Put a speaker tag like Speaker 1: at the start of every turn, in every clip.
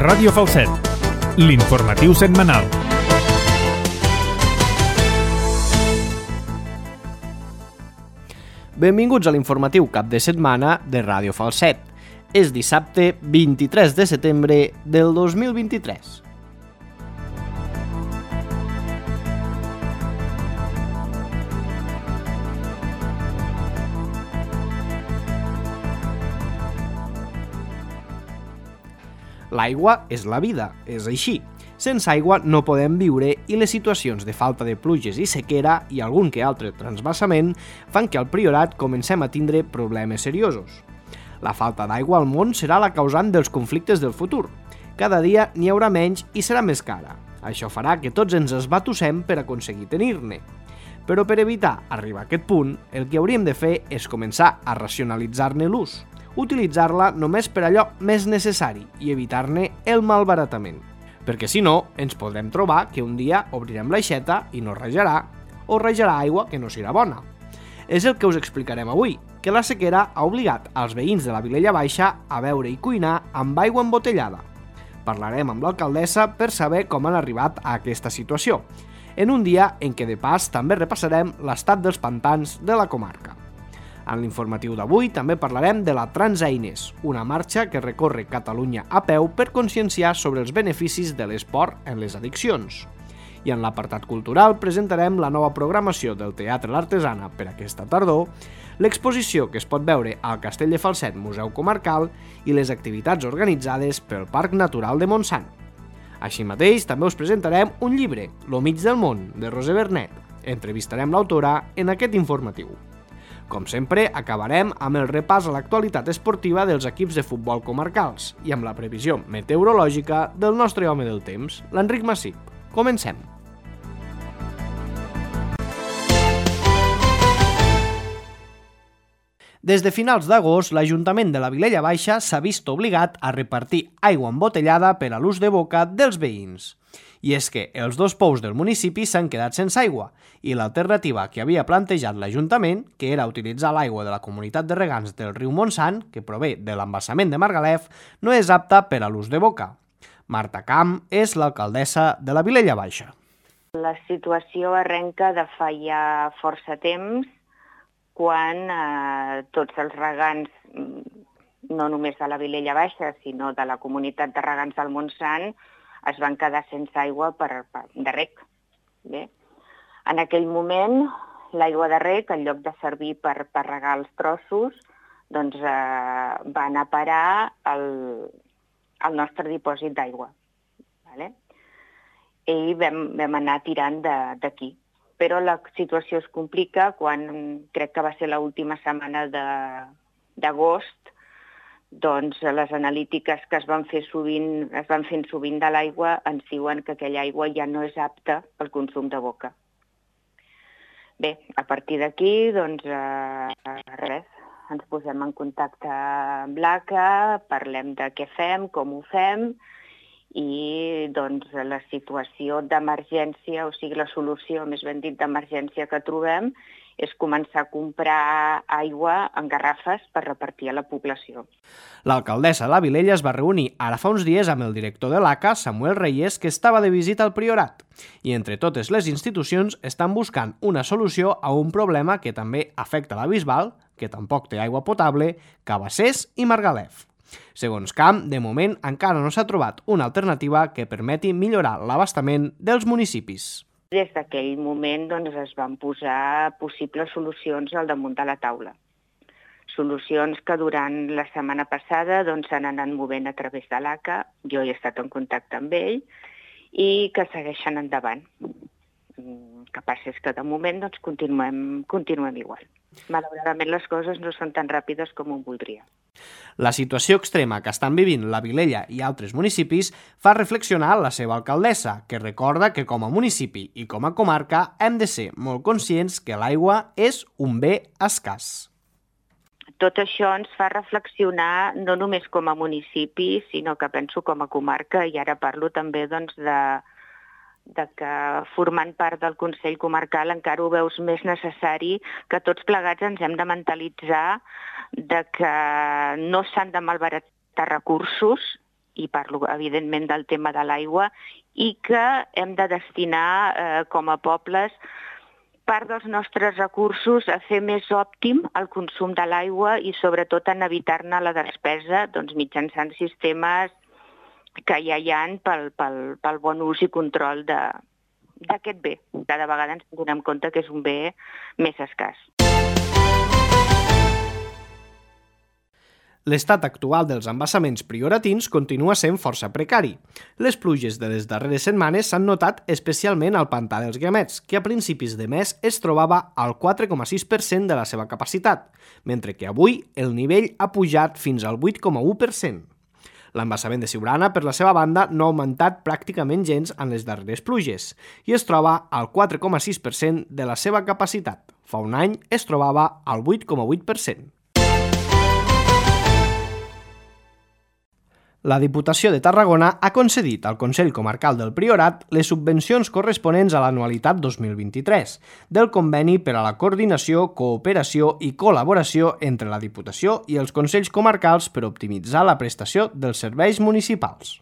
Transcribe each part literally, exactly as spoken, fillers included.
Speaker 1: Ràdio Falset, l'informatiu setmanal.
Speaker 2: Benvinguts a l'informatiu cap de setmana de Ràdio Falset. És dissabte vint-i-tres de setembre del dos mil vint-i-tres. L'aigua és la vida, és així. Sense aigua no podem viure i les situacions de falta de pluges i sequera i algun que altre transvasament fan que al Priorat comencem a tindre problemes seriosos. La falta d'aigua al món serà la causant dels conflictes del futur. Cada dia n'hi haurà menys i serà més cara. Això farà que tots ens esbatussem per aconseguir tenir-ne. Però per evitar arribar a aquest punt, el que hauríem de fer és començar a racionalitzar-ne l'ús, utilitzar-la només per allò més necessari i evitar-ne el malbaratament. Perquè si no, ens podrem trobar que un dia obrirem l'aixeta i no rajarà, o rajarà aigua que no serà bona. És el que us explicarem avui, que la sequera ha obligat als veïns de la Vilella Baixa a beure i cuinar amb aigua embotellada. Parlarem amb l'alcaldessa per saber com han arribat a aquesta situació, en un dia en què de pas també repassarem l'estat dels pantans de la comarca. En l'informatiu d'avui també parlarem de la Transeines, una marxa que recorre Catalunya a peu per conscienciar sobre els beneficis de l'esport en les addiccions. I en l'apartat cultural presentarem la nova programació del Teatre L'Artesana per aquesta tardor, l'exposició que es pot veure al Castell de Falset Museu Comarcal i les activitats organitzades pel Parc Natural de Montsant. Així mateix, també us presentarem un llibre, Lo mig del món, de Roser Bernet. Entrevistarem l'autora en aquest informatiu. Com sempre, acabarem amb el repàs a l'actualitat esportiva dels equips de futbol comarcals i amb la previsió meteorològica del nostre home del temps, l'Enric Massip. Comencem! Des de finals d'agost, l'Ajuntament de la Vilella Baixa s'ha vist obligat a repartir aigua embotellada per a l'ús de boca dels veïns. I és que els dos pous del municipi s'han quedat sense aigua i l'alternativa que havia plantejat l'Ajuntament, que era utilitzar l'aigua de la comunitat de regants del riu Montsant, que prové de l'embassament de Margalef, no és apta per a l'ús de boca. Marta Camp és l'alcaldessa de la Vilella Baixa.
Speaker 3: La situació arrenca de fa ja força temps, quan eh, tots els regants, no només de la Vilella Baixa, sinó de la comunitat de regants del Montsant, es van quedar sense aigua per, per, de rec. Bé. En aquell moment, l'aigua de rec, en lloc de servir per, per regar els trossos, doncs, eh, va anar a parar al, al nostre dipòsit d'aigua. Vale? I vam, vam anar tirant d'aquí. Però la situació es complica quan, crec que va ser l'última setmana d'agost, doncs les analítiques que es van fer sovint, es van fent sovint de l'aigua ens diuen que aquella aigua ja no és apta al consum de boca. Bé, a partir d'aquí, doncs, eh, res, ens posem en contacte amb l'A C A, parlem de què fem, com ho fem, i doncs la situació d'emergència, o sigui la solució, més ben dit, d'emergència que trobem, és començar a comprar aigua en garrafes per repartir a la població.
Speaker 2: L'alcaldessa de la Vilella es va reunir ara fa uns dies amb el director de l'A C A, Samuel Reyes, que estava de visita al Priorat. I entre totes les institucions estan buscant una solució a un problema que també afecta la Bisbal, que tampoc té aigua potable, Cabassers i Margalef. Segons Camp, de moment encara no s'ha trobat una alternativa que permeti millorar l'abastament dels municipis.
Speaker 3: Des d'aquell moment doncs, es van posar possibles solucions al damunt de la taula. Solucions que durant la setmana passada doncs, s'han anat movent a través de l'A C A, jo he estat en contacte amb ell, i que segueixen endavant. El que passa és que de moment doncs, continuem, continuem igual. Malauradament les coses no són tan ràpides com ho voldria.
Speaker 2: La situació extrema que estan vivint la Vilella i altres municipis fa reflexionar la seva alcaldessa, que recorda que com a municipi i com a comarca hem de ser molt conscients que l'aigua és un bé escàs.
Speaker 3: Tot això ens fa reflexionar no només com a municipi, sinó que penso com a comarca, i ara parlo també doncs, de, de que formant part del Consell Comarcal encara ho veus més necessari, que tots plegats ens hem de mentalitzar de que no s'han de malbaratar recursos i parlo evidentment del tema de l'aigua, i que hem de destinar eh, com a pobles part dels nostres recursos a fer més òptim el consum de l'aigua i sobretot en evitar-ne la despesa doncs, mitjançant sistemes que ja hi ha pel, pel, pel bon ús i control de, d'aquest bé. Cada vegada ens donem compte que és un bé més escàs.
Speaker 2: L'estat actual dels embassaments prioratins continua sent força precari. Les pluges de les darreres setmanes s'han notat especialment al pantà dels Guiamets, que a principis de mes es trobava al quatre coma sis per cent de la seva capacitat, mentre que avui el nivell ha pujat fins al vuit coma u per cent. L'embassament de Siurana, per la seva banda, no ha augmentat pràcticament gens en les darreres pluges i es troba al quatre coma sis per cent de la seva capacitat. Fa un any es trobava al vuit coma vuit per cent. La Diputació de Tarragona ha concedit al Consell Comarcal del Priorat les subvencions corresponents a l'anualitat dos mil vint-i-tres del Conveni per a la coordinació, cooperació i col·laboració entre la Diputació i els Consells Comarcals per optimitzar la prestació dels serveis municipals.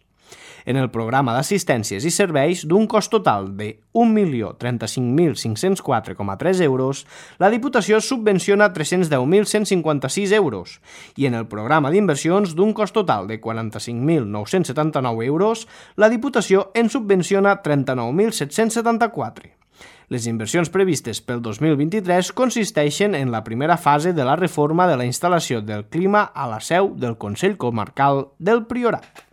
Speaker 2: En el programa d'assistències i serveis d'un cost total de un milió trenta-cinc mil cinc-cents quatre coma tres euros, la Diputació subvenciona tres-cents deu mil cent cinquanta-sis euros i en el programa d'inversions d'un cost total de quaranta-cinc mil nou-cents setanta-nou euros, la Diputació en subvenciona trenta-nou mil set-cents setanta-quatre. Les inversions previstes pel dos mil vint-i-tres consisteixen en la primera fase de la reforma de la instal·lació del clima a la seu del Consell Comarcal del Priorat.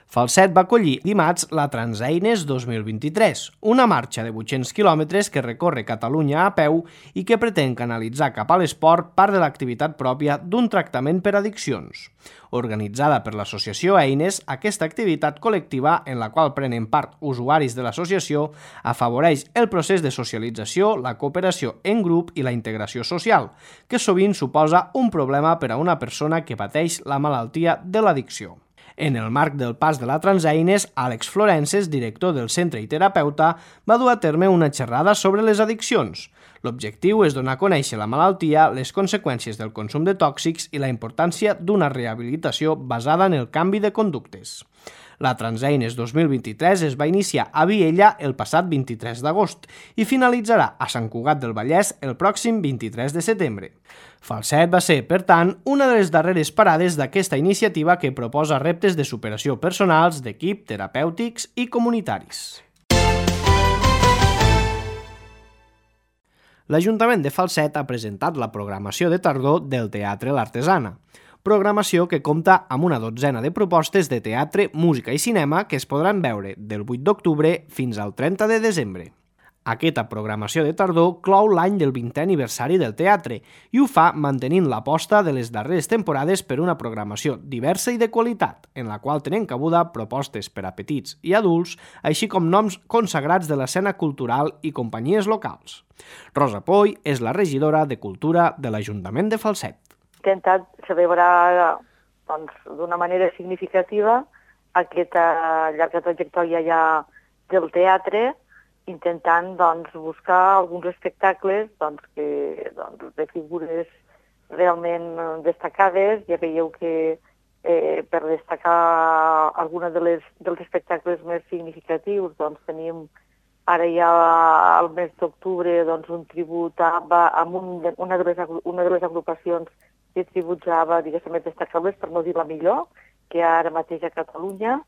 Speaker 2: Falset va acollir dimarts la Transeines dos mil vint-i-tres, una marxa de vuit-cents quilòmetres que recorre Catalunya a peu i que pretén canalitzar cap a l'esport part de l'activitat pròpia d'un tractament per addiccions. Organitzada per l'associació Eines, aquesta activitat col·lectiva en la qual prenen part usuaris de l'associació afavoreix el procés de socialització, la cooperació en grup i la integració social, que sovint suposa un problema per a una persona que pateix la malaltia de l'addicció. En el marc del pas de la Transeines, Àlex Florences, director del centre i terapeuta, va dur a terme una xerrada sobre les addiccions. L'objectiu és donar a conèixer la malaltia, les conseqüències del consum de tòxics i la importància d'una rehabilitació basada en el canvi de conductes. La Transeines dos mil vint-i-tres es va iniciar a Viella el passat vint-i-tres d'agost i finalitzarà a Sant Cugat del Vallès el pròxim vint-i-tres de setembre. Falset va ser, per tant, una de les darreres parades d'aquesta iniciativa que proposa reptes de superació personals, d'equip, terapèutics i comunitaris. L'Ajuntament de Falset ha presentat la programació de tardor del Teatre L'Artesana, programació que compta amb una dotzena de propostes de teatre, música i cinema que es podran veure del vuit d'octubre fins al trenta de desembre. Aquesta programació de tardor clou l'any del vintè aniversari del teatre i ho fa mantenint l'aposta de les darreres temporades per una programació diversa i de qualitat, en la qual tenen cabuda propostes per a petits i adults, així com noms consagrats de l'escena cultural i companyies locals. Rosa Poy és la regidora de Cultura de l'Ajuntament de Falset.
Speaker 4: Intentat celebrar doncs, d'una manera significativa aquesta llarga trajectòria ja del teatre, intentant doncs, buscar alguns espectacles doncs, que, doncs, de figures realment destacades. Ja veieu que eh, per destacar alguna de les, dels espectacles més significatius doncs, tenim ara ja al mes d'octubre doncs, un tribut a, amb un, una, de les, una de les agrupacions que tributzava, diguéssim, més destacables, per no dir la millor, que ara mateix a Catalunya,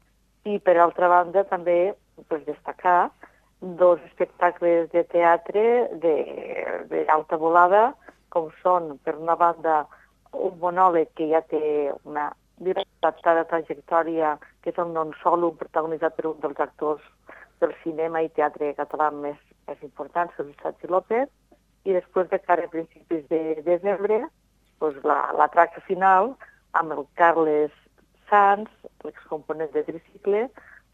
Speaker 4: i per altra banda també pues, destacar dos espectacles de teatre d'alta volada, com són, per una banda, un monòleg que ja té una dilatada trajectòria, que és el Non Solo, protagonitzat per un dels actors del cinema i teatre català més, més importants, Sergi López, i després de cara a principis de desembre, doncs la, la tracta final amb el Carles Sanz, l'excomponent de tricicle,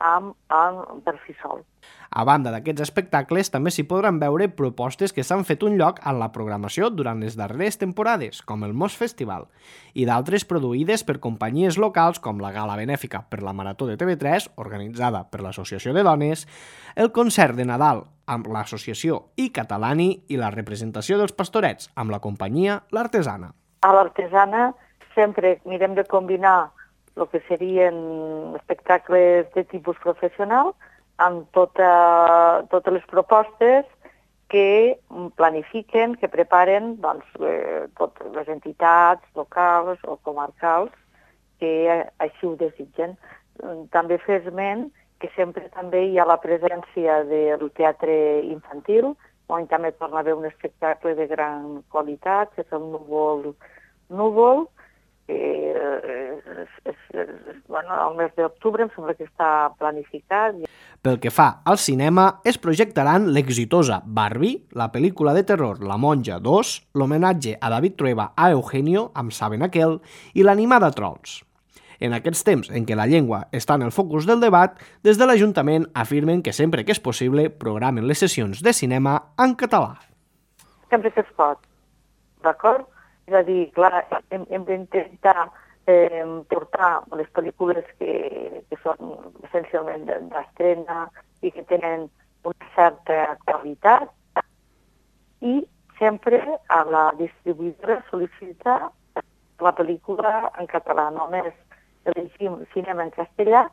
Speaker 4: amb, amb per si sol.
Speaker 2: A banda d'aquests espectacles, també s'hi podran veure propostes que s'han fet un lloc en la programació durant les darreres temporades, com el Mos Festival, i d'altres produïdes per companyies locals com la Gala Benèfica per la Marató de T V tres, organitzada per l'Associació de Dones, el concert de Nadal amb l'associació I Catalani i la representació dels Pastorets amb la companyia L'Artesana.
Speaker 4: A l'Artesana sempre mirem de combinar el que serien espectacles de tipus professional amb tota, totes les propostes que planifiquen, que preparen doncs, eh, totes les entitats locals o comarcals que així ho desitgen. També fer esment que sempre també hi ha la presència del teatre infantil, on també torna a haver un espectacle de gran qualitat, que és el Núvol Núvol, eh, és, és, és, bueno, el mes d'octubre em sembla que està planificat.
Speaker 2: Pel que fa al cinema, es projectaran l'exitosa Barbie, la pel·lícula de terror La Monja dos, l'homenatge a David Trueba a Eugenio, amb Saben aquel, i l'animada Trolls. En aquests temps en què la llengua està en el focus del debat, des de l'Ajuntament afirmen que sempre que és possible programen les sessions de cinema en català.
Speaker 4: Sempre que es pot, d'acord? És a dir, clar, hem, hem d'intentar eh, portar les pel·lícules que, que són essencialment d'estrena i que tenen una certa qualitat i sempre a la distribuïdora sol·licitar la pel·lícula en català. Només elegim cinema en castellà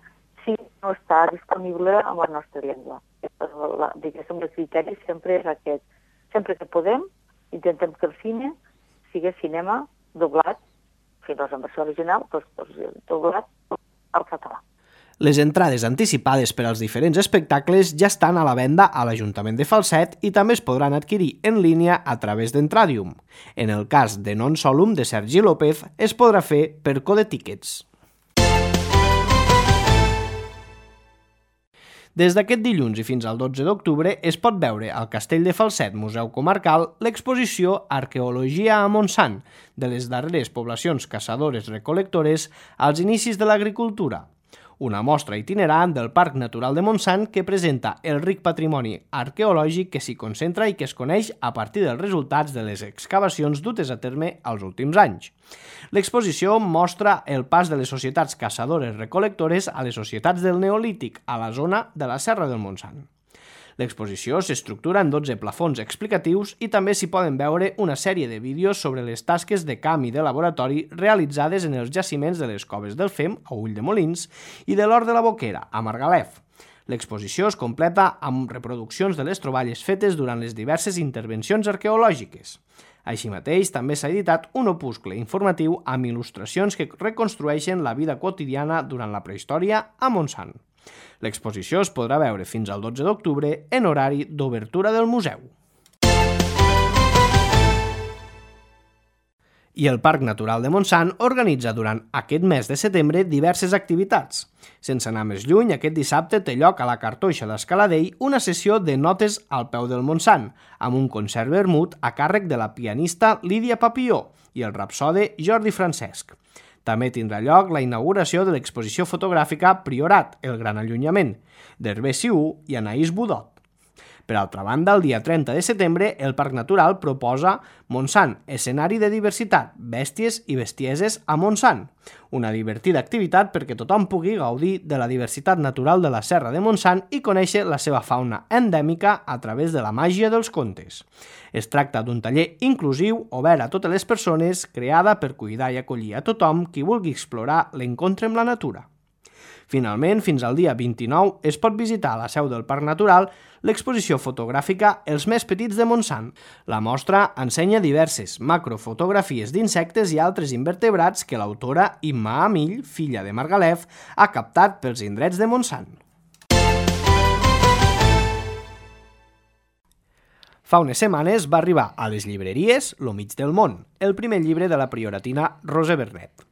Speaker 4: si no està disponible en la nostra llengua. La, diguéssim, el criteri sempre és aquest. Sempre que podem, intentem que el cine sigui cinema doblat, si no és en versió original, doncs, doncs doblat al català.
Speaker 2: Les entrades anticipades per als diferents espectacles ja estan a la venda a l'Ajuntament de Falset i també es podran adquirir en línia a través d'Entradium. En el cas de Non Solum de Sergi López es podrà fer per Code Tickets. Des d'aquest dilluns i fins al dotze d'octubre es pot veure al Castell de Falset, Museu Comarcal, l'exposició Arqueologia a Montsant, de les darreres poblacions caçadores-recol·lectores als inicis de l'agricultura. Una mostra itinerant del Parc Natural de Montsant que presenta el ric patrimoni arqueològic que s'hi concentra i que es coneix a partir dels resultats de les excavacions dutes a terme als últims anys. L'exposició mostra el pas de les societats caçadores-recol·lectores a les societats del Neolític a la zona de la Serra del Montsant. L'exposició s'estructura en dotze plafons explicatius i també s'hi poden veure una sèrie de vídeos sobre les tasques de camp i de laboratori realitzades en els jaciments de les Coves del Fem, a Ulldemolins, i de l'Hort de la Boquera, a Margalef. L'exposició es completa amb reproduccions de les troballes fetes durant les diverses intervencions arqueològiques. Així mateix, també s'ha editat un opuscle informatiu amb il·lustracions que reconstrueixen la vida quotidiana durant la prehistòria a Montsant. L'exposició es podrà veure fins al dotze d'octubre en horari d'obertura del museu. I el Parc Natural de Montsant organitza durant aquest mes de setembre diverses activitats. Sense anar més lluny, aquest dissabte té lloc a la Cartoixa d'Escaladell una sessió de notes al peu del Montsant, amb un concert vermut a càrrec de la pianista Lídia Papilló i el rapsode Jordi Francesc. També tindrà lloc la inauguració de l'exposició fotogràfica Priorat, el gran allunyament, d'Hervé Siú i Anaïs Budot. Per altra banda, el dia trenta de setembre, el Parc Natural proposa Montsant, escenari de diversitat, bèsties i bestieses a Montsant. Una divertida activitat perquè tothom pugui gaudir de la diversitat natural de la Serra de Montsant i conèixer la seva fauna endèmica a través de la màgia dels contes. Es tracta d'un taller inclusiu, obert a totes les persones, creada per cuidar i acollir a tothom qui vulgui explorar l'encontre amb la natura. Finalment, fins al dia vint-i-nou es pot visitar a la seu del Parc Natural l'exposició fotogràfica Els més petits de Montsant. La mostra ensenya diverses macrofotografies d'insectes i altres invertebrats que l'autora Imma Amill, filla de Margalef, ha captat pels indrets de Montsant. Fa unes setmanes va arribar a les llibreries Lo mig del món, el primer llibre de la prioratina Roser Bernet.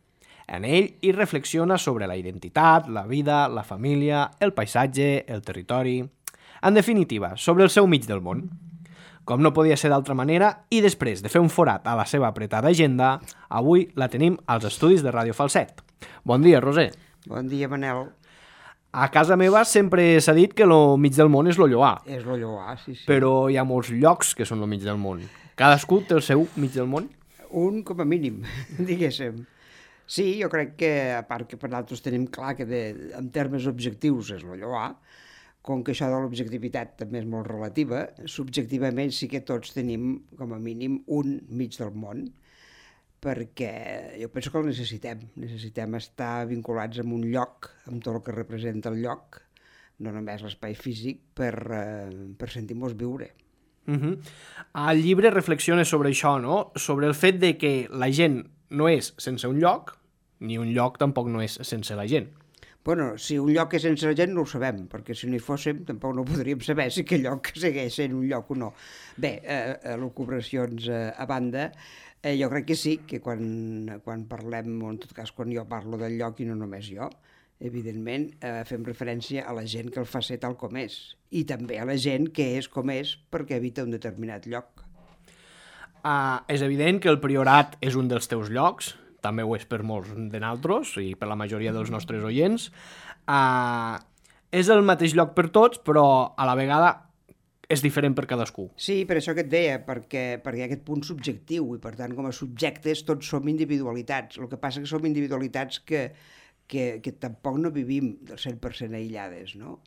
Speaker 2: En ell hi reflexiona sobre la identitat, la vida, la família, el paisatge, el territori... En definitiva, sobre el seu mig del món. Com no podia ser d'altra manera, i després de fer un forat a la seva apretada agenda, avui la tenim als estudis de Ràdio Falset. Bon dia, Roser.
Speaker 5: Bon dia, Manel.
Speaker 2: A casa meva sempre s'ha dit que el mig del món és lo Lloar.
Speaker 5: És lo Lloar, sí, sí.
Speaker 2: Però hi ha molts llocs que són el mig del món. Cadascú té el seu mig del món?
Speaker 5: Un com a mínim, diguéssim. Sí, jo crec que, a part que per nosaltres tenim clar que de, en termes objectius és lo Lloar, com que això de l'objectivitat també és molt relativa, subjectivament sí que tots tenim, com a mínim, un mig del món. perquè jo penso que el necessitem. Necessitem estar vinculats amb un lloc, amb tot el que representa el lloc, no només l'espai físic, per, eh, per sentir-nos viure.
Speaker 2: Uh-huh. El llibre reflexiona sobre això, no? Sobre el fet de que la gent no és sense un lloc, ni un lloc tampoc no és sense la gent.
Speaker 5: Bueno, si un lloc és sense la gent no ho sabem, perquè si no hi fóssim tampoc no podríem saber si aquell lloc segueix sent un lloc o no. Bé, eh, elucubracions eh, a banda, eh, jo crec que sí, que quan, quan parlem, o en tot cas quan jo parlo del lloc i no només jo, evidentment eh, fem referència a la gent que el fa ser tal com és, i també a la gent que és com és perquè habita un determinat lloc.
Speaker 2: Uh, és evident que el Priorat és un dels teus llocs, també ho és per molts de naltros i per la majoria dels nostres oients. Uh, és el mateix lloc per tots, però a la vegada és diferent per cadascú.
Speaker 5: Sí, per això que et deia, perquè, perquè hi ha aquest punt subjectiu, i per tant com a subjectes tots som individualitats. El que passa que som individualitats que, que, que tampoc no vivim del cent per cent aïllades, no?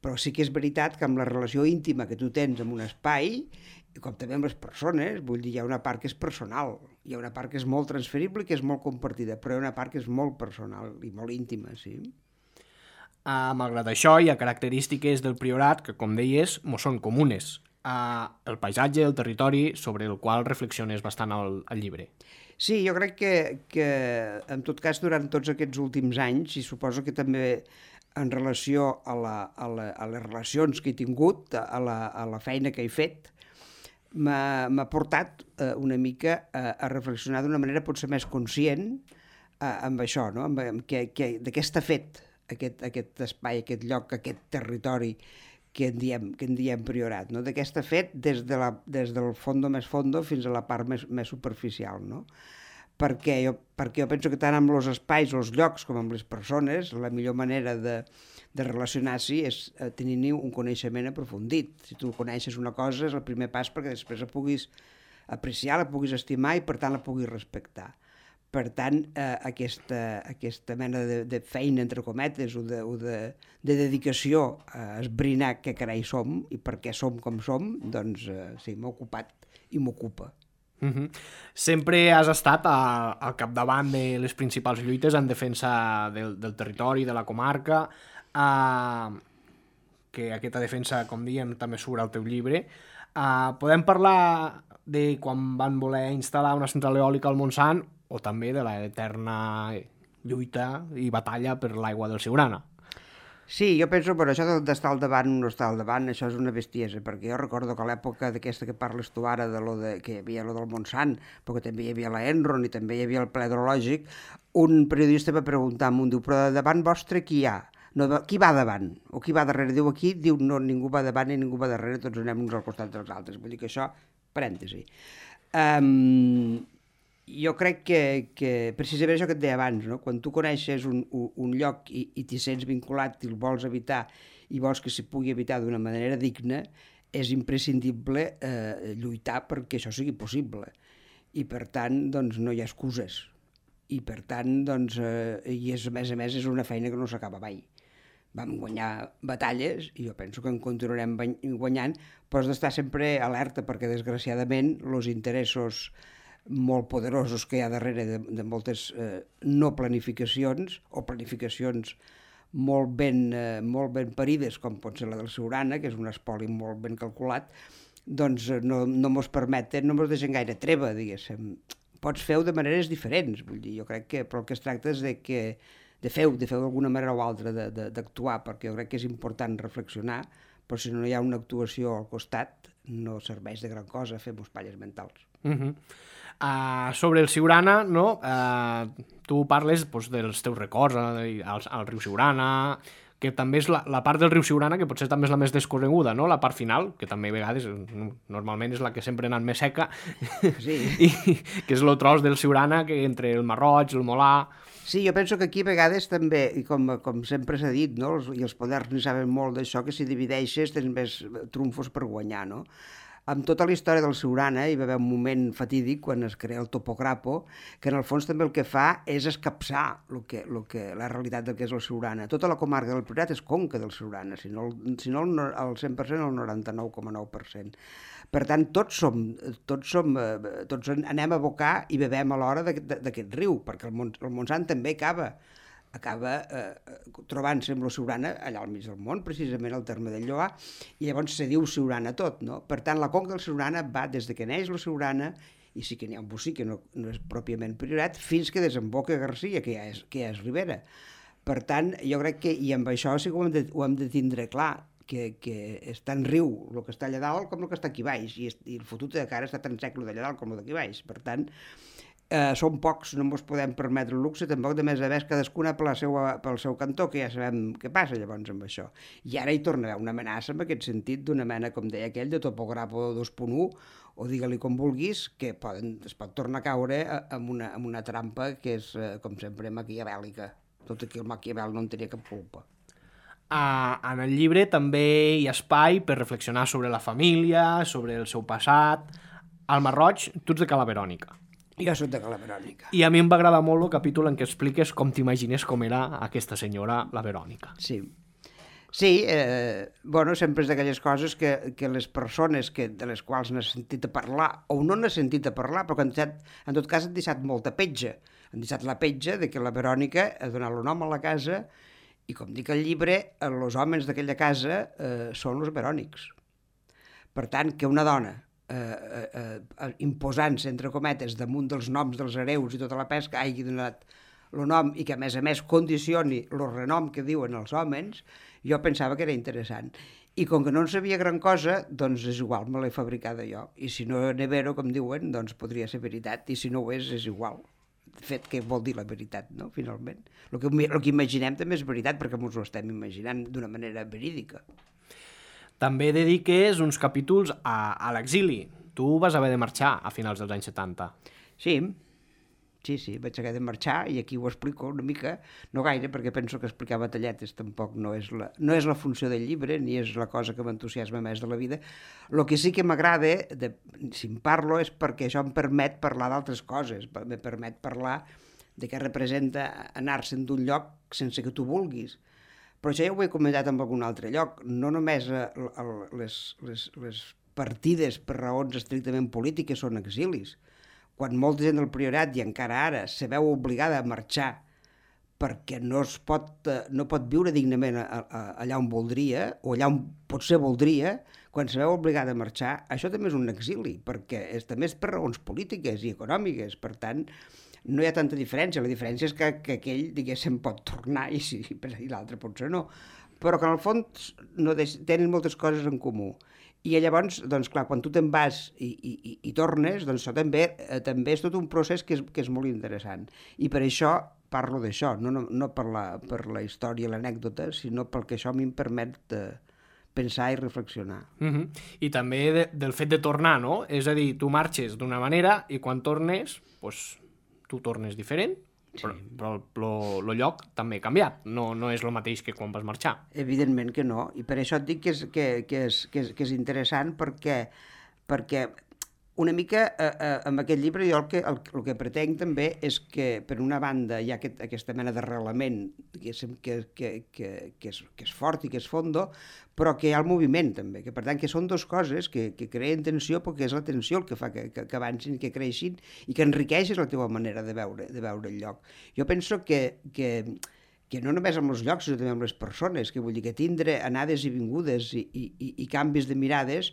Speaker 5: Però sí que és veritat que amb la relació íntima que tu tens amb un espai, com també amb les persones, vull dir, hi ha una part que és personal, hi ha una part que és molt transferible i que és molt compartida, però hi ha una part que és molt personal i molt íntima, sí.
Speaker 2: Uh, malgrat això, hi ha característiques del Priorat que, com deies, mos són comunes. Uh, el paisatge, el territori, sobre el qual reflexiones bastant al, al llibre.
Speaker 5: Sí, jo crec que, que, en tot cas, durant tots aquests últims anys, i suposo que també en relació a, la, a, la, a les relacions que he tingut, a la, a la feina que he fet, m'ha portat eh, una mica a, a reflexionar d'una manera potser més conscient eh, amb això, no? amb, amb que, que, de què està fet aquest, aquest espai, aquest lloc, aquest territori que en diem, que en diem Priorat, no? De què està fet des, de la, des del fondo més fondo fins a la part més, més superficial, no? Perquè jo, perquè jo penso que tant amb els espais, els llocs, com amb les persones, la millor manera de, de relacionar-s'hi és tenir-hi un coneixement aprofundit. Si tu coneixes una cosa és el primer pas perquè després la puguis apreciar, la puguis estimar i per tant la puguis respectar. Per tant, eh, aquesta, aquesta mena de, de feina, entre cometes, o de, o de, de dedicació a esbrinar què carai som i per què som com som, doncs eh, sí, m'ha ocupat i m'ocupa.
Speaker 2: Uh-huh. Sempre has estat a, al capdavant de les principals lluites en defensa del, del territori, de la comarca, uh, que aquesta defensa, com diem, també surt al teu llibre. Uh, podem parlar de quan van voler instal·lar una central eòlica al Montsant o també de l'eterna lluita i batalla per l'aigua del Siurana.
Speaker 5: Sí, jo penso, però això d'estar al davant o no estar al davant, això és una bestiesa, perquè jo recordo que a l'època d'aquesta que parles tu ara, de lo de, que hi havia lo del Montsant, però que també hi havia la Enron i també hi havia el ple hidrològic, un periodista va preguntar, un diu, però davant vostre qui hi ha? No, qui va davant? O qui va darrere? Diu aquí, diu, no, ningú va davant i ningú va darrere, tots anem uns al costat dels altres. Vull dir que això, parèntesi. Um, jo crec que, que precisament això que et deia abans, no? Quan tu coneixes un, un, un lloc i, i t'hi sents vinculat i el vols habitar i vols que s'hi pugui habitar d'una manera digna, és imprescindible eh, lluitar perquè això sigui possible. I per tant, doncs, no hi ha excuses. I per tant, doncs, eh, i és, a més a més, és una feina que no s'acaba mai. Vam guanyar batalles i jo penso que en continuarem guanyant, però has d'estar sempre alerta perquè, desgraciadament, els interessos molt poderosos que hi ha darrere de, de moltes eh, no planificacions o planificacions molt ben, eh, molt ben parides, com pot ser la del Siurana, que és un espoli molt ben calculat, doncs no, no mos permeten, no mos deixen gaire treva, diguéssim. Pots fer-ho de maneres diferents, vull dir, jo crec que, però el que es tracta és de que de fer-ho, de fer-ho d'alguna manera o altra, d'actuar, perquè jo crec que és important reflexionar, però si no hi ha una actuació al costat, no serveix de gran cosa fer-nos palles mentals.
Speaker 2: Uh-huh. Uh, sobre el Siurana, no? Uh, tu parles pues, dels teus records uh, al, al riu Siurana, que també és la, la part del riu Siurana que potser també és la més descorreguda, no? La part final, que també a vegades normalment és la que sempre ha anat més seca,
Speaker 5: sí.
Speaker 2: i que és el tros del Siurana que entre el Marroig, el Molà...
Speaker 5: Sí, jo penso que aquí a vegades també, i com, com sempre s'ha dit, no? Els, i els poders ni saben molt d'això, que si divideixes tens més trumfos per guanyar, no? amb tota la història del Siurana hi va haver un moment fatídic quan es crea el topograpo, que en el fons també el que fa és escapçar lo que, lo que, la realitat del que és el Siurana. Tota la comarca del Priorat és conca del Siurana, si no, si no el, el cent per cent, el noranta-nou coma nou per cent. Per tant, tots som, tots som, tots anem a abocar i bevem a l'hora d'aquest riu, perquè el, Mont, el Montsant també acaba acaba eh, trobant-se amb la Siurana allà al mig del món, precisament al terme del Lloar, i llavors se diu Siurana tot, no? Per tant, la conca del Siurana va des de que neix la Siurana, i sí que n'hi ha un bocí que no, no és pròpiament Priorat, fins que desemboca a Garcia, que ja és, que ja és Ribera. Per tant, jo crec que, i amb això sí que ho hem de, ho hem de tindre clar, que, que és tan riu el que està allà dalt com el que està aquí baix, i, i el fotut de cara està tan sec el d'allà dalt com el d'aquí baix. Per tant, Eh, som pocs, no ens podem permetre el luxe, tampoc de més a més cadascuna per la seva, pel seu cantó, que ja sabem què passa llavors amb això. I ara hi torna a haver una amenaça en aquest sentit, d'una mena, com deia aquell, de topograpo dos punt u, o digue-li com vulguis, que poden, es pot tornar a caure amb una, amb una trampa que és, eh, com sempre, maquiavèlica. Tot aquí el Maquiavel no en tenia cap culpa.
Speaker 2: Uh, en el llibre també hi ha espai per reflexionar sobre la família, sobre el seu passat. Al Marroig, tu ets de Cala Verònica.
Speaker 5: Jo soc de Cala Verònica.
Speaker 2: I a mi em va agradar molt el capítol en què expliques com t'imagines com era aquesta senyora, la Verònica.
Speaker 5: Sí. Sí, eh, bueno, sempre és d'aquelles coses que, que les persones que, de les quals n'has sentit a parlar, o no n'has sentit a parlar, però que en, set, en tot cas han deixat molta petja. Han deixat la petja de que la Verònica ha donat el nom a la casa i, com dic al llibre, els homes d'aquella casa eh, són els verònics. Per tant, que una dona Eh, eh, imposant-se, entre cometes, damunt dels noms dels hereus i tota la pesca, hagi donat el nom i que, a més a més, condicioni el renom que diuen els homes, jo pensava que era interessant. I com que no en sabia gran cosa, doncs és igual, me l'he fabricada jo. I si no n'he vero, com diuen, doncs podria ser veritat, i si no ho és, és igual. De fet, què vol dir la veritat, no?, finalment. El que, el que imaginem també és veritat, perquè ens ho estem imaginant d'una manera verídica.
Speaker 2: També dediques uns capítols a, a l'exili. Tu vas haver de marxar a finals dels anys setanta.
Speaker 5: Sí, sí, sí, vaig haver de marxar i aquí ho explico una mica, no gaire, perquè penso que explicar batalletes tampoc no és la, no és la funció del llibre, ni és la cosa que m'entusiasma més de la vida. El que sí que m'agrada, si en parlo, és perquè això em permet parlar d'altres coses, em permet parlar de què representa anar-se'n d'un lloc sense que tu vulguis. Però això ja ho he comentat en algun altre lloc, no només les, les, les partides per raons estrictament polítiques són exilis. Quan molta gent del Priorat, i encara ara, se veu obligada a marxar perquè no, es pot, no pot viure dignament allà on voldria, o allà on potser voldria, quan se veu obligada a marxar, això també és un exili, perquè és, també és per raons polítiques i econòmiques, per tant, no hi ha tanta diferència, la diferència és que, que aquell, diguéssim, pot tornar i, sí, i l'altre potser no, però que en el fons no deix, tenen moltes coses en comú. I llavors, doncs clar, quan tu te'n vas i, i, i tornes, doncs això també, eh, també és tot un procés que és, que és molt interessant. I per això parlo d'això, no, no, no per, la, per la història, l'anècdota, sinó pel que això a mi em permet de pensar i reflexionar.
Speaker 2: Mm-hmm. I també de, del fet de tornar, no? És a dir, tu marxes d'una manera i quan tornes, doncs, tu tornes diferent, sí. però, però el lloc també ha canviat, no, no és el mateix que quan vas marxar.
Speaker 5: Evidentment que no, i per això et dic que és, que, que és, que és, que és interessant perquè, perquè una mica eh, eh, amb aquest llibre jo el que, el, el que pretenc també és que per una banda hi ha aquest, aquesta mena d'arrelament que, que, que, que, que, és, que és fort i que és fondo, però que hi ha el moviment també, que per tant que són dues coses que, que creen tensió perquè és la tensió el que fa que, que, que avancin, que creixin i que enriqueixes la teva manera de veure, de veure el lloc. Jo penso que, que, que no només amb els llocs, sinó també amb les persones, que vull dir que tindre anades i vingudes i, i, i, i canvis de mirades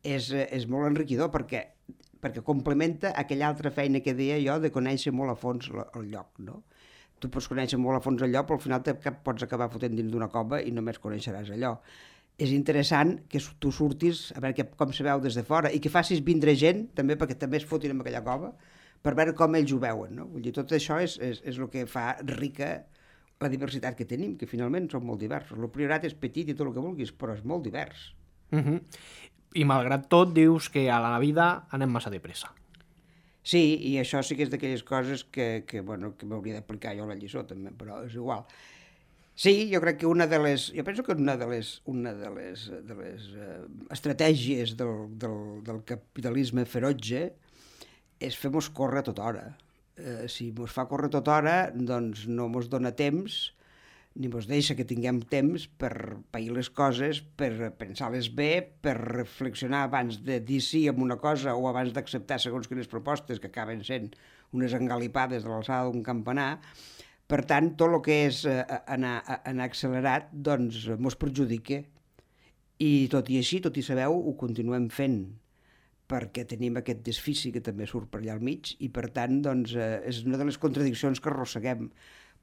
Speaker 5: és, és molt enriquidor perquè, perquè complementa aquella altra feina que deia jo de conèixer molt a fons el lloc, no? Tu pots conèixer molt a fons el lloc, però al final te pots acabar fotent dins d'una cova i només coneixeràs allò. És interessant que tu surtis a veure com se veu des de fora i que facis vindre gent, també perquè també es fotin en aquella cova, per veure com ells ho veuen, no? Vull dir, tot això és, és, és el que fa rica la diversitat que tenim, que finalment som molt diversos. El Priorat és petit i tot el que vulguis, però és molt divers.
Speaker 2: Mm-hmm. I malgrat tot dius que a la vida anem massa de pressa.
Speaker 5: Sí, i això sí que és d'aquelles coses que, que, bueno, que m'hauria d'aplicar jo a la lliçó també, però és igual. Sí, jo crec que una de les... Jo penso que una de les, una de les, de les uh, estratègies del, del, del capitalisme ferotge és fer-nos córrer a tota hora. Uh, si mos fa córrer a tota hora, doncs no mos dona temps, ni mos deixa que tinguem temps per pair les coses, per pensar-les bé, per reflexionar abans de dir sí amb una cosa o abans d'acceptar segons quines propostes que acaben sent unes engalipades de l'alçada d'un campanar. Per tant, tot el que és eh, anar, anar accelerat, doncs, mos perjudica. I tot i així, tot i sabeu, ho continuem fent, perquè tenim aquest desfici que també surt per allà al mig, i per tant, doncs, eh, és una de les contradiccions que arrosseguem.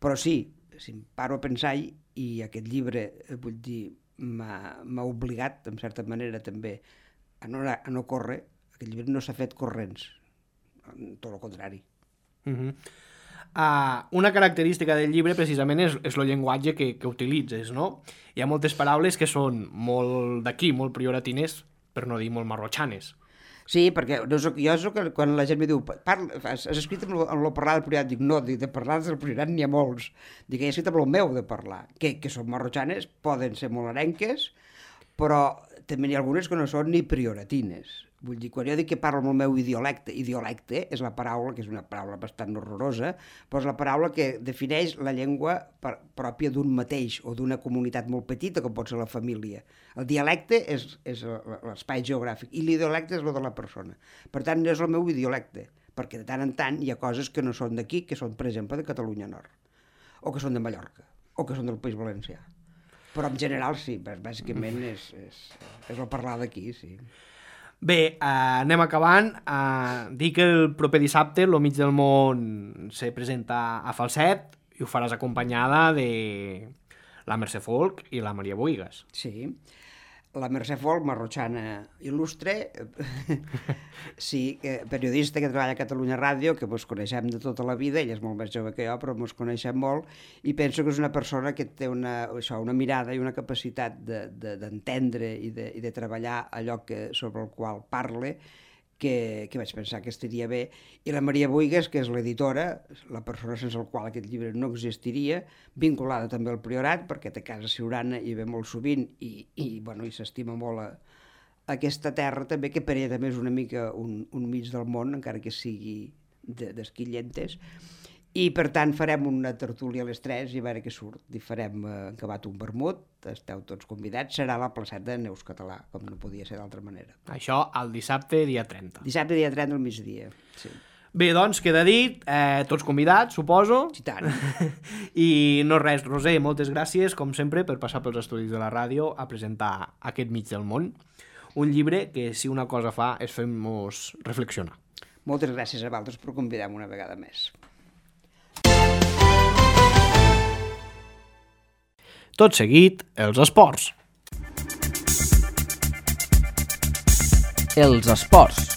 Speaker 5: Però sí, si em paro a pensar, i aquest llibre, eh, vull dir, m'ha obligat, en certa manera, també, a no, a no córrer, aquest llibre no s'ha fet corrents, tot el contrari.
Speaker 2: Mm-hmm. Uh, una característica del llibre precisament és, és el llenguatge que, que utilitzes, no? Hi ha moltes paraules que són molt d'aquí, molt prioratines, per no dir molt marrotxanes.
Speaker 5: Sí, perquè no soc, jo soc, quan la gent mi diu parla, has, has escrit amb el parlar del priorat, dic no, dic, de parlar del priorat n'hi ha molts, dic, he escrit amb el meu de parlar, que, que són marrotxanes, poden ser molt arenques, però també n'hi ha algunes que no són ni prioratines. Vull dir, quan jo dic que parlo amb el meu idiolecte, idiolecte és la paraula, que és una paraula bastant horrorosa, però és la paraula que defineix la llengua per, pròpia d'un mateix o d'una comunitat molt petita, com pot ser la família. El dialecte és, és l'espai geogràfic i l'idiolecte és el de la persona. Per tant, és el meu idiolecte, perquè de tant en tant hi ha coses que no són d'aquí, que són, per exemple, de Catalunya Nord, o que són de Mallorca, o que són del País Valencià. Però en general sí, bàsicament és, és, és el parlar d'aquí, sí.
Speaker 2: Bé, eh, anem acabant. Eh, dic que el proper dissabte el Mig del Món se presenta a Falset i ho faràs acompanyada de la Mercè Folk i la Maria Bohigas.
Speaker 5: Sí, la Mercè Folk, marrotxana il·lustre, sí, periodista que treballa a Catalunya Ràdio, que ens coneixem de tota la vida, ella és molt més jove que jo, però ens coneixem molt, i penso que és una persona que té una, això, una mirada i una capacitat d'entendre de, de, i, de, i de treballar allò que, sobre el qual parle, que, que vaig pensar que estaria bé. I la Maria Bohigas, que és l'editora, la persona sense el qual aquest llibre no existiria, vinculada també al Priorat, perquè té casa Siurana i ve molt sovint i, i, bueno, i s'estima molt a, a aquesta terra també, que per ella també és una mica un, un mig del món, encara que sigui d'Esquillentes. I per tant farem una tertúlia a les tres i a veure què surt. I farem eh, acabat un vermut, esteu tots convidats, serà la placeta de Neus Català, com no podia ser d'altra manera.
Speaker 2: Això el dissabte, dia trenta.
Speaker 5: Dissabte, dia trenta, al migdia, sí.
Speaker 2: Bé, doncs, queda dit, eh, tots convidats, suposo.
Speaker 5: Sí, tant.
Speaker 2: I no res, Roser, moltes gràcies, com sempre, per passar pels estudis de la ràdio a presentar aquest Mig del Món. Un llibre que, si una cosa fa, és fer-nos reflexionar.
Speaker 5: Moltes gràcies a vosaltres per convidar-me una vegada més.
Speaker 2: Tot seguit, els esports.
Speaker 6: Els esports.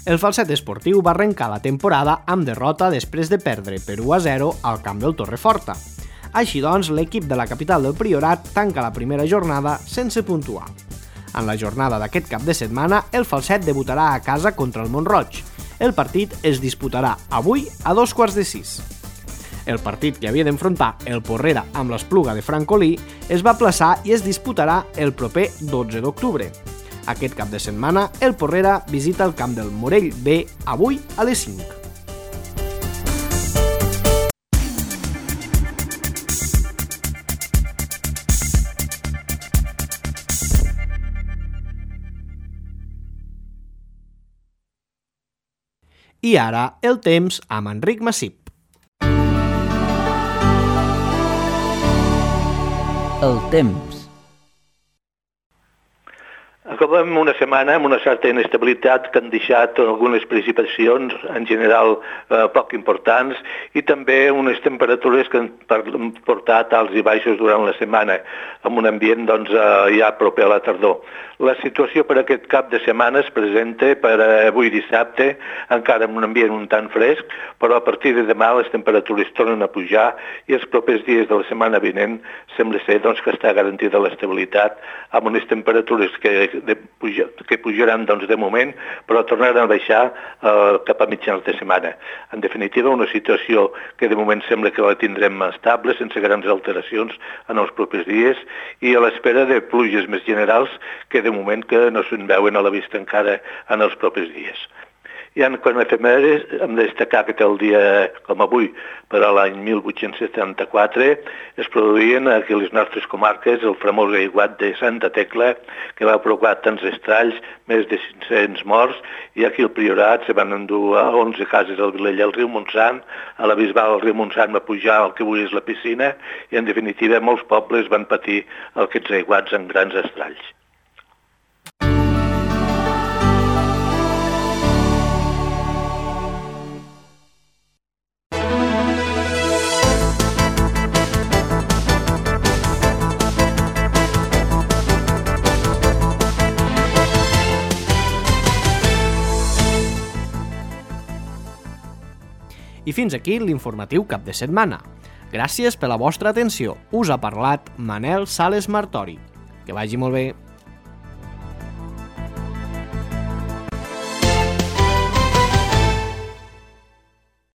Speaker 2: El Falset esportiu va arrencar la temporada amb derrota després de perdre per u a zero al camp del Torreforta. Així doncs, l'equip de la capital del Priorat tanca la primera jornada sense puntuar. En la jornada d'aquest cap de setmana, el Falset debutarà a casa contra el Mont-roig. El partit es disputarà avui a dos quarts de sis. El partit que havia d'enfrontar el Porrera amb l'Espluga de Francolí es va aplaçar i es disputarà el proper dotze d'octubre. Aquest cap de setmana, el Porrera visita el camp del Morell B avui a les cinc. I ara, el temps amb Enric Massip.
Speaker 6: El temps.
Speaker 7: Acabem una setmana amb una certa inestabilitat que han deixat algunes precipitacions, en general eh, poc importants, i també unes temperatures que han portat alts i baixos durant la setmana, amb un ambient doncs, eh, ja proper a la tardor. La situació per aquest cap de setmana es presenta per avui dissabte, encara amb un ambient un tant fresc, però a partir de demà les temperatures tornen a pujar i els propers dies de la setmana vinent sembla ser doncs, que està garantida l'estabilitat amb unes temperatures que de puja, que pujaran doncs, de moment, però tornaran a baixar eh, cap a mitjans de setmana. En definitiva, una situació que de moment sembla que la tindrem estable, sense grans alteracions en els propers dies, i a l'espera de pluges més generals que de moment que no se'n veuen a la vista encara en els propers dies. I en quant a efemèrides, hem de destacar que el dia, com avui, per a l'any mil vuit-cents setanta-quatre, es produïen aquí a les nostres comarques el famós aiguat de Santa Tecla, que va provocar tants estralls, més de cinc-cents morts, i aquí al Priorat se van endur a onze cases al Vilella al riu Montsant, a la Bisbal el riu Montsant va pujar al que avui és la piscina, i en definitiva molts pobles van patir aquests aiguats en grans estralls.
Speaker 2: I fins aquí l'informatiu cap de setmana. Gràcies per la vostra atenció. Us ha parlat Manel Sales Martori. Que vagi molt bé.